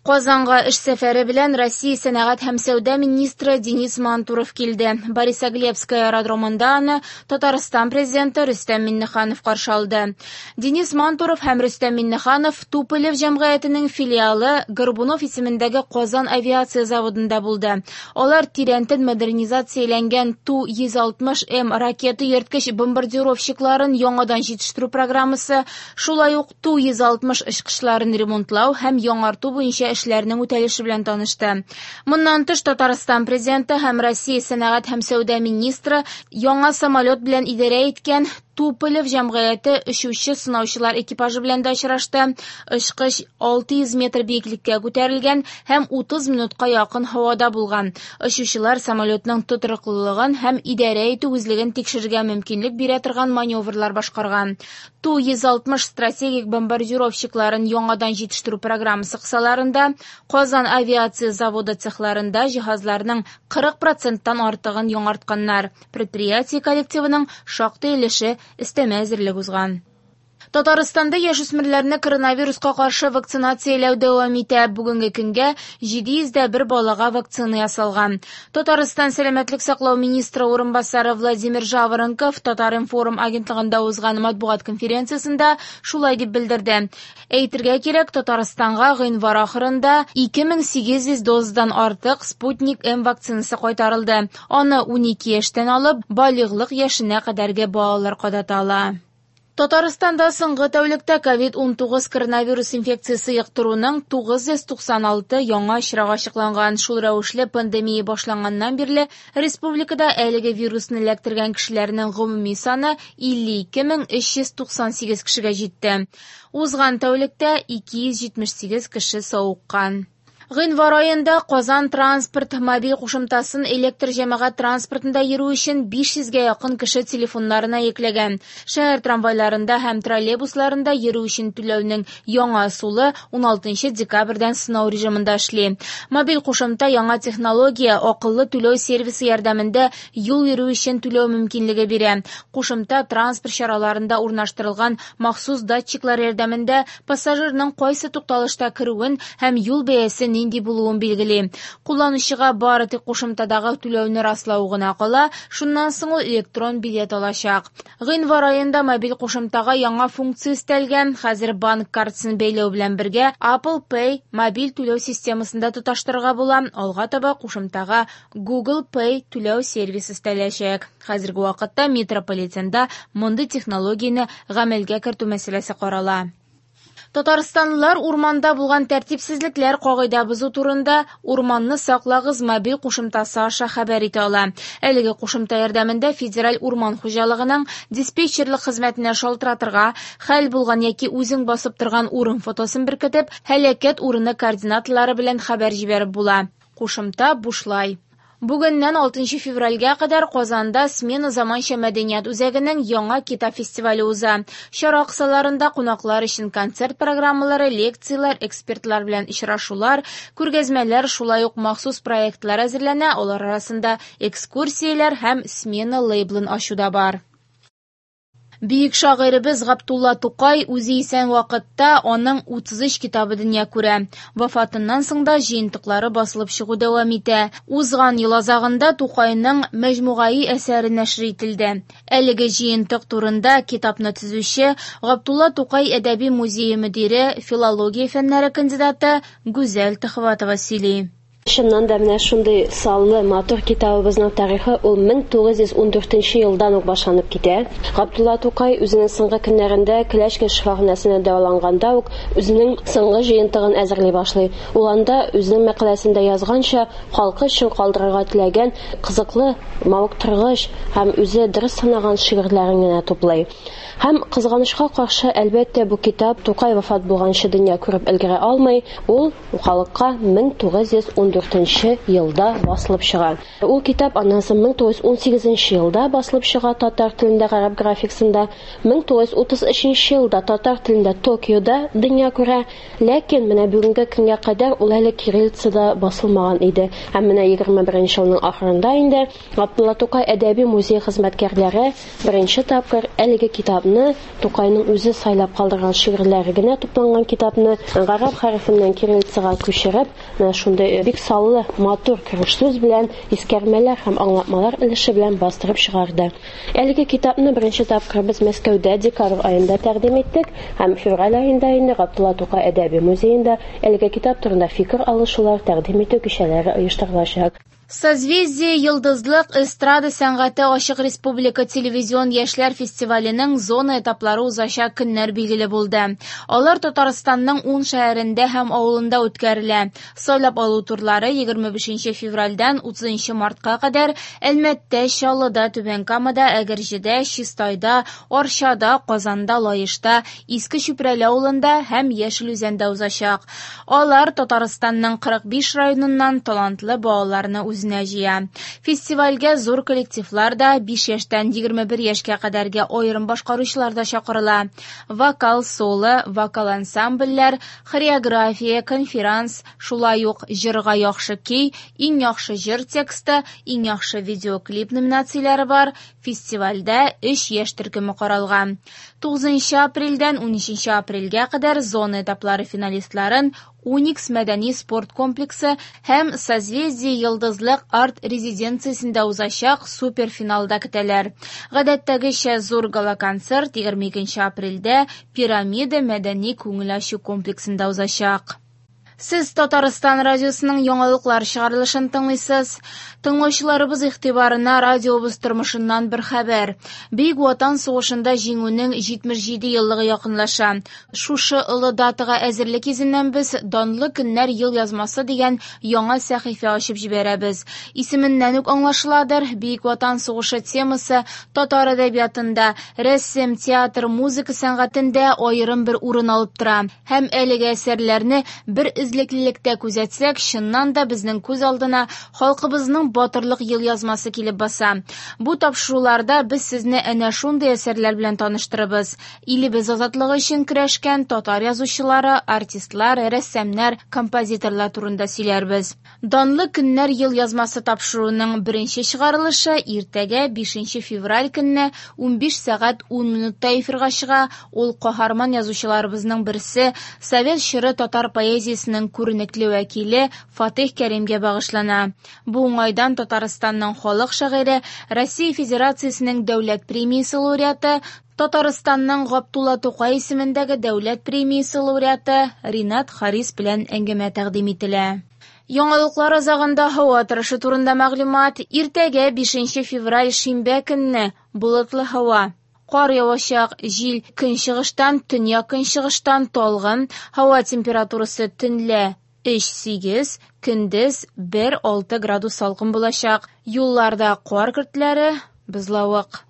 Казанга эш сәфәре белән Россия сәнәгать һәм сәүдә министры Денис Мантуров килде. Борисоглебское аэродромында аны Татарстан президенты Рөстәм Миңнеханов каршы алды. Денис Мантуров һәм Рөстәм Миңнеханов Туполев җәмгыятенең филиалы Горбунов исемендәге Казан авиация заводында булды. Алар тирәнтен модернизацияләнгән Ту-160М ракета йөрткеч бомбардировщикларын яңадан җитештерү программасы, шулай ук Ту-160 очкычларын ремонтлау һәм яңарту буенча эшләрнең үтәлеше белән танышты. Моннан тыш, Татарстан Президенты һәм Россия сәнәгать һәм сәүдә министры яңа самолет белән идарә иткән Туполев җәмгыяте очучы-сынаучылар экипажы белән дә очрашты. Очкыч 600 метр биеклеккә күтәрелгән һәм 30 минутка якын һавада булган. Очучылар самолетның тотрыклылыгын һәм идарә итү үзлеген тикшерергә мөмкинлек бирә торган маневрлар башкарган. Ту-160 стратегик бомбардировщикларын яңадан җитештерү программасы кысаларында Казан авиация заводы цехларында җиһазларның 40 проценттан артыгын яңартканнар. Предприятие коллективының шактый өлеше өстәмә әзерлек узган. Татарстанда яшүсмерләрне коронавируска каршы вакцинацияләү дәвам итә. Бүгенге көнгә 701 балага вакцина ясалган. Татарстан сәламәтлек саклау министры урынбасары Владимир Жаворонков Татар-информ агентлыгында узган матбугат конференциясендә шулай дип белдерде. Әйтергә кирәк, Татарстанга гыйнвар ахырында 2800 дозадан артык Спутник М вакцинасы кайтарылды. Аны 12 яшьтән алып балигълык яшенә кадәрге балалар кадата ала. Татарстанда соңгы тәүлектә ковид-19 коронавирус инфекциясе йоктыруның 996 яңа очрагы ачыкланган. Шул рәвешле пандемия башланганнан бирле республикада әлеге вирусны эләктергән кешеләрнең гомуми саны 52 398 кешегә җитте. Узган тәүлектә 278 кеше савыккан. Гыйнвар аенда Казан транспорт мобиль кушымтасын электр җәмәгать транспортында йөрү өчен 500гә якын кеше телефоннарына йөкләгән. Шәһәр трамвайларында һәм троллейбусларында йөрү өчен түләүнең яңа ысулы 16 декабрьдән сынау режимында эшли. Мобиль кушымта яңа технология, акыллы түләү сервисы ярдәмендә юл йөрү өчен түләү мөмкинлеге бирә. Кушымта транспорт чараларында урнаштырылган махсус датчиклар ярдәмендә пассажирның кайсы тукталышта керүен һәм юл бәясе нинди булуын билгели. Кулланучыга бары тик кушымтадагы түләүне раслау гына кала, шуннан соң ул электрон билет алачак. Гыйнвар аенда мобиль кушымтага яңа функция өстәлгән. Хәзер банк картасын бәйләү белән бергә Apple Pay мобиль түләү системасын да тоташтырырга була. Алга таба кушымтага Google Pay түләү сервисы өстәләчәк. Хәзерге вакытта метрополитенда мондый технологияне гамәлгә кертү мәсьәләсе карала. Татарстанлылар урманда булган тәртипсезлекләр, кагыйдә бозу турында Урманны саклагыз мобиль кушымтасы аша хәбәр итә ала. Әлеге кушымта ярдәмендә Федераль урман хуҗалыгының диспетчерлык хезмәтенә шалтыратырга, хәл булган яки үзең басып торган урын фотосын беркетеп, һәлакәт урыны координаталары белән хәбәр җибәреп була. Кушымта бушлай. Бүгеннән 6 февральгә кадәр Казанда Смена заманча мәдәният үзәгенең яңа китап фестивале уза. Чара кысаларында кунаклар өчен концерт программалары, лекцияләр, экспертлар белән очрашулар, күргәзмәләр, шулай ук махсус проектлар әзерләнә, алар арасында экскурсияләр һәм Смена лейблын ачу да бар. Бөек шагыйребез Габдулла Тукай үзе исән вакытта аның 33 китабы дөнья күрә. Вафатыннан соң да җыентыклары басылып чыгу дәвам итә. Узган ел азагында Тукайның Мәҗмугаи әсәре нәшер ителде. Әлеге җыентык турында китапны төзүче Габдулла Тукай әдәби музее мөдире, филология фәннәре кандидаты Гүзәл Төхвәтова сөйли. Чыннан да менә шундый саллы матур китабыбызның тарихы ул 1914 елдан ук башланып китә. Габдулла Тукай үзенең соңгы көннәрендә Клячкин шифаханәсендә дәваланганда ук үзенең соңгы җыентыгын әзерли башлый. Ул анда үзенең мәкаләсендә язганча, халкы өчен калдырырга теләгән кызыклы, мавыктыргыч һәм үзе дөрес санаган шигырьләрен генә туплый. Һәм кызганычка каршы, әлбәттә, бу китап Тукай вафат булганчы дөнья күреп өлгерә алмый. Ул халыкка 1914 1914 елда басылып чыга. Ул китап аннан соң 1918 елда басылып чыга татар телендә гарәп графикасында, 1933 елда татар телендә Токиода дөнья күрә, ләкин менә бүгенге көнгә кадәр ул әле кириллицада басылмаган иде. Һәм менә 21 елның ахырында инде Габдулла Тукай әдәби музей хезмәткәрләре беренче тапкыр әлеге китапны, Тукайның үзе сайлап калдырган шигырьләре генә тупланган китапны гарәп хәрефеннән кириллицага күчереп, менә шундый бик саллы, матур кереш сүз белән, искәрмәләр һәм аңлатмалар өлеше белән бастырып чыгарды. Әлеге китапны беренче тапкыр без Мәскәүдә декабрь аенда тәкъдим иттек һәм февраль аенда инде Габдулла Тукай әдәби музеенда әлеге китап турында фикер алышулар, тәкъдим итү кичәләре оештырылачак. Созвездие-Йолдызлык эстрада сәнгате ачык республика телевизион яшьләр фестиваленең зона этаплары узачак көннәр билгеле булды. Алар Татарстанның ун шәһәрендә һәм авылында үткәрелә. Сайлап алу турлары 25 февральдән 30 мартка кадәр Әлмәттә, Чаллыда, Түбән Камада, Әгерҗедә, Чистайда, Арчада, Казанда, Лаешта, Иске Чүпрәле авылында һәм Яшел Үзәндә узачак. Алар Татарстанның 45 районыннан талантлы балаларны үзенә җыя. Фестивальгә зур коллективлар да, 5 яшьтән 21 яшькә кадәрге аерым башкаручылар да чакырыла. Вокал соло, вокал ансамбльләр, хореография, конферанс, шулай ук җырга яхшы көй, иң яхшы җыр тексты, иң яхшы видеоклип номинацияләре бар. Фестивальдә өч яшь төркеме каралган. 9 апрельдән 13 апрельгә кадәр зона этаплары финалистларын Уникс мәдәни-спорт комплексы һәм Созвездие-Йолдызлык арт-резиденциясендә узачак суперфиналда көтәләр. Гадәттәгечә зур гала-концерт 22 апрельдә Пирамида мәдәни-күңел ачу комплексында узачак. Сез Татарстан радиосының яңалыклар чыгарылышын тыңлыйсыз. Тыңлаучыларыбыз игътибарына радиобыз тормышыннан бер хәбәр. Бөек Ватан сугышында җиңүнең 77 еллыгы якынлаша. Шушы олы датага әзерлек йөзеннән без Данлы көннәр ел язмасы дигән яңа сәхифә ачып җибәрәбез. Исеменнән үк аңлашыладыр, Бөек Ватан сугышы темасы татар әдәбиятында, рәсем, театр, музыка сәнгатендә аерым бер урын алып тора. Һәм әлеге әсәрләрне бер эзлеклелектә күзәтсәк, чыннан да безнең күз алдына халкыбызның батырлык елъязмасы килеп баса. Бу тапшыруларда без сезне әнә шундый әсәрләр белән таныштырыбыз. Илебез азатлыгы өчен көрәшкән татар язучылары, артистлар, рәссамнар, композиторлар турында сөйләрбез. Данлы көннәр елъязмасы тапшыруының беренче чыгарылышы иртәгә 5 февраль көнне 15 сәгать 10 минутта эфирга чыга. Ул каһарман язучыларыбызның берсе, совет чоры татар поэзиясенең күренекле вәкиле Фатих Кәримгә багышлана. Бу уңайдан Татарстанның халык шагыйре, Россия Федерациясенең дәүләт премиясе лауреаты, Татарстанның Габдулла Тукай исемендәге дәүләт премиясе лауреаты Ринат Харис белән әңгәмә тәкъдим ителә. Яңалыклар азагында һава торышы турында мәгълүмат. Иртәгә 5 февраль шимбә көнне болытлы һава. Кар явачак, җил көнчыгыштан, төньяк-көнчыгыштан талгын, һава температурасы төнлә 3-8, көндез 1-6 градус салкын булачак. Юлларда кар көртләре, бозлавык.